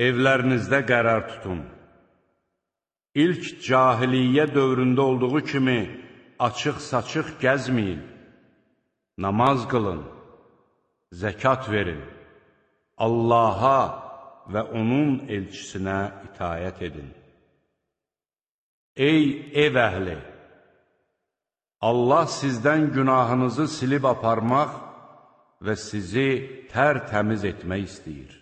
Evlərinizdə qərar tutun. İlk cahiliyyə dövründə olduğu kimi açıq-saçıq gəzməyin. Namaz qılın, zəkat verin. Allaha və onun elçisinə itayət edin. Ey ev əhli! Allah sizdən günahınızı silib aparmaq və sizi tərtəmiz etmək istəyir.